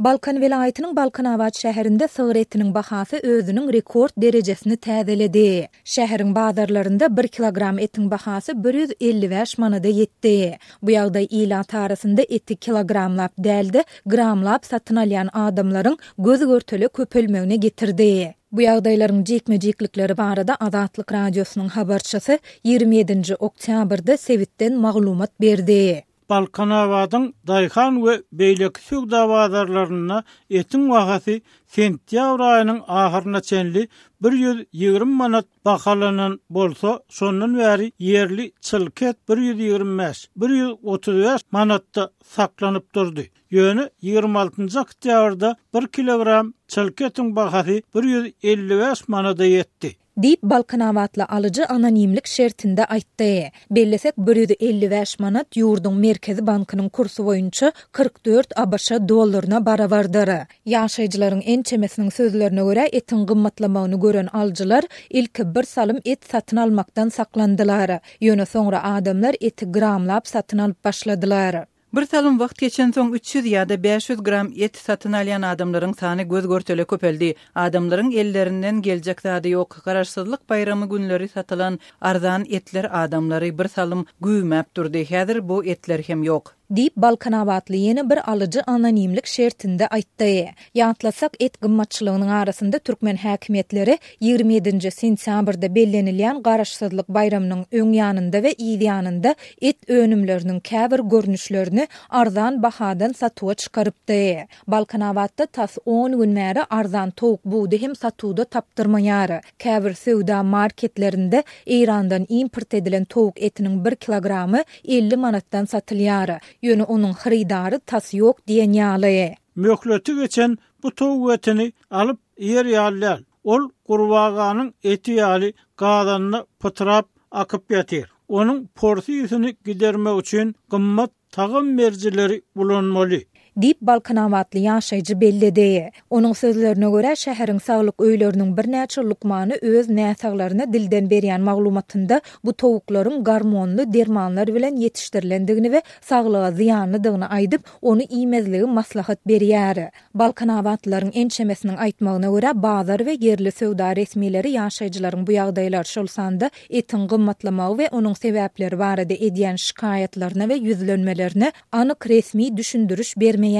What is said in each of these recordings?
Balkan welaýatynyň Balkanabat şäherinde sygyr etiniň bahasy özüniň rekord derejesini täzeledi. Şäheriň bazarlarynda bir kilogram etiň bahasy 155 manada ýetdi. Bu ýagdaý ilat arasynda eti kilogramlap däl-de, gramlap satyn alýan adamlaryň göz-görtele köpelmegine getirdi. Bu ýagdaýlaryň jikme-jiklikleri barada Azatlyk Radiosynyň habarçysy 27-nji oktýabrda sebitden maglumat berdi. Balkanabadyň daýhan we beýleki söwda bazarlarynda etiň bahasy sentýabr aýynyň ahyryna çenli 120 manat bahalanan bolsa, şondan bäri ýerli çylka et 125, 135 manatda saklanyp durdy. Ýöne 26-njy oktýabrda bir kilogram çylka etiň bahasy 155 manada ýetdi. Diýip, balkanabatly alyjy anonimlik şertinde aýtdy. Bellesek, 155 manat ýurduň Merkezi bankynyň kursy boýunça 44 abş dollaryna barabardyr. Ýaşaýjylaryň ençemesiniň sözlerine görä, etiň gymmatlamagyny gören alyjylar ilki bir salym et satyn almakdan saklandylar. Ýöne soňra adamlar eti gramlap satyn alyp başladylar. Bir salym wagt geçensoň 300 ýa-da 500 gram et satyn alýan adamlaryň sany göz-görtele köpeldi. Adamlaryň ellerinden geljek zady ýok. Garaşsyzlyk baýramy günleri satylan arzan etler adamlary bir salym güwmäp durdy. Häzir bu etler hem ýok. Diýip, balkanabatly ýene bir alyjy anonimlik şertinde aýtdy. Ýatlasak, et gymmatçylygynyň arasynda türkmen häkimiýetleri 27-nji sentýabrda bellenilýän Garaşsyzlyk baýramynyň öň ýanynda we yz ýanynda et önümleriniň käbir görnüşlerini arzan bahadan satuwa çykarypdy. Balkanabatda tas on gün bäri arzan towuk budy hem satuwda tapdyrmaýar. Käbir söwda marketlerinde Eýrandan import edilen towuk etiniň bir kilogramy 50 manatdan satylýar. Ýöne onuň hyrydary tas ýok diýen ýaly. Möhleti geçen bu towuk etini alyp iýer ýaly däl. Ol gurbaganyň eti ýaly gazanda pytrap akyp ýatyr. Onuň porsy ysyny gidermek üçin gymmat tagam berijileri ulanmaly. Diýip, balkanabatly ýaşaýjy belledi. Onuň sözlerine görä, şäheriň saglyk öýleriniň birnäçe lukmany öz näsaglaryna dilden berýän maglumatynda bu towuklaryň gormonly dermanlar bilen ýetişdirilendigini we saglyga zyýanlydygyny aýdyp, ony iýmezligi maslahat berýär. Balkanabatlylaryň ençemesiniň aýtmagyna görä, bazar we ýerli söwda resmileri ýaşaýjylaryň bu ýagdaýlar, şol sanda etiň gymmatlamagy we onuň sebäpleri barada edýän şikaýatlaryna we ýüzlenmelerine anyk resmi düşündiriş bermeýärler.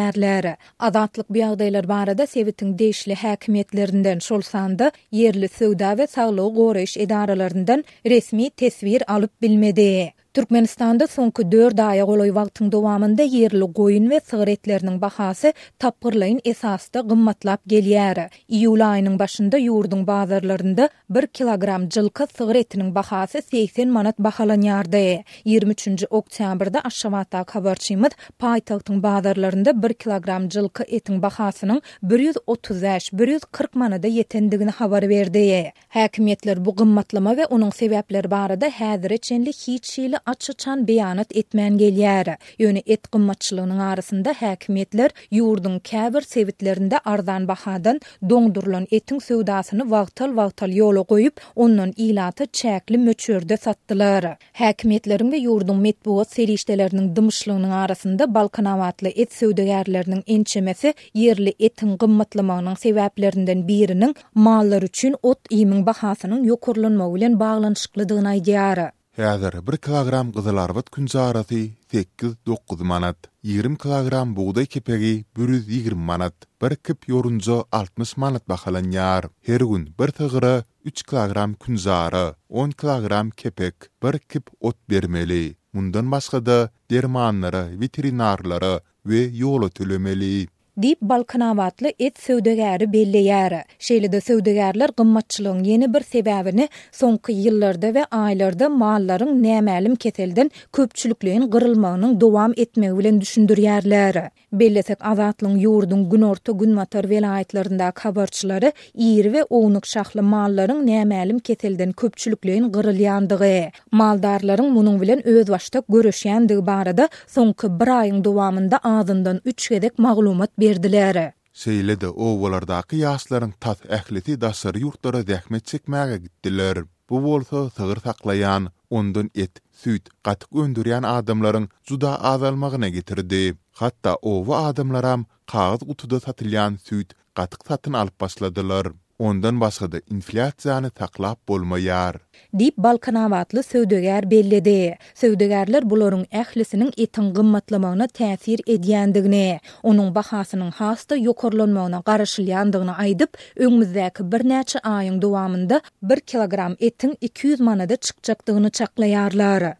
Azatlyk bu ýagdaýlar barada sebitiň degişli häkimiýetlerinden, şol sanda ýerli söwda we saglygy goraýyş edaralaryndan resmi teswir alyp bilmedi. Türkmenistanda soňky dört aýa golaý wagtyň dowamynda ýerli goýun we sygyr etleriniň bahasy tapgyrlaýyn esasda gymmatlap gelýär. Iýul aýynyň başynda ýurduň bazarlarynda bir kilogram jylka sygyr etiniň bahasy 80 manat bahalanýardy. Ýigrimi üçünji oktýabrda Aşgabatdaky habarçymyz paýtagtyň bazarlarynda bir kilogram jylka etiň bahasynyň 135, 140 manada ýetendigini habar berdi. Häkimiýetler bu gymmatlama we onuň sebäpleri barada häzire çenli hiç hili aç-açan beýanat etmän gelýär. Ýöne et gymmatçylygynyň arasynda häkimiýetler ýurduň käbir sebitlerinde arzan bahadan doňdurylan etiň söwdasyny wagtal-wagtal ýola goýup, ondan ilata çäkli möçberde satdylar. Häkimiýetleriň we ýurduň metbugat serişdeleriniň dymyşlygynyň arasynda balkanabatly et söwdagärleriniň ençemesi ýerli etiň gymmatlamagynyň sebäplerinden biriniň mallar üçin ot-iýmiň bahasynyň ýokarlanmagy bilen baglanyşyklydygyny aýdýar. Häzir bir kilogram gyzylarbat künjarasy sekiz, dokuz manat, 20 kilogram bugdaý kepegi 120 manat, bir kip ýorunja 60 manat bahalanýar. Her gün bir sygyra üç kilogram künjara, on kilogram kepek, bir kip ot bermeli. Mundan başga-da, dermanlara, weterinarlara we ýola tölemeli. Diýip, balkanabatly et söwdagäri belleýär. Şeýle-de söwdagärler gymmatçylygyň ýene bir sebäbini soňky ýyllarda we aýlarda mallaryň nämälim keselden köpçülikleýin gyrylmagynyň dowam etmegi bilen düşündirýärler. Bellesek, Azatlygyň ýurduň günorta-günbatar welaýatlaryndaky habarçylary iri we ownuk şahly mallaryň nämälim keselden köpçülikleýin gyrylýandygy, maldarlaryň munuň bilen özbaşdak göreşýändigi barada soňky bir aýyň dowamynda azyndan üç gezek maglumat berdiler. Şeýle-de obalardaky ýaşlaryň tas ählisi daşary ýurtlara zähmet çekmäge gitdiler. Bu bolsa sygyr saklaýan, ondan et, süýt, gatyk öndürýän adamlaryň juda azalmagyna getirdi. Hatda oba adamlaram kagyz gutuda satylýan süýt, gatyk satyn alyp başladylar. Ondan başga-da inflýasiýany saklap bolmaýar. Diýip, balkanabatly söwdagär belledi. Söwdagärler bularyň ählisiniň etiň gymmatlamagyna täsir edýändigini, onuň bahasynyň has-da ýokarlanmagyna garaşylýandygyny aýdyp, öňümizdäki birnäçe aýyň dowamynda bir kilogram etiň 200 manada çykjakdygyny çaklaýarlar.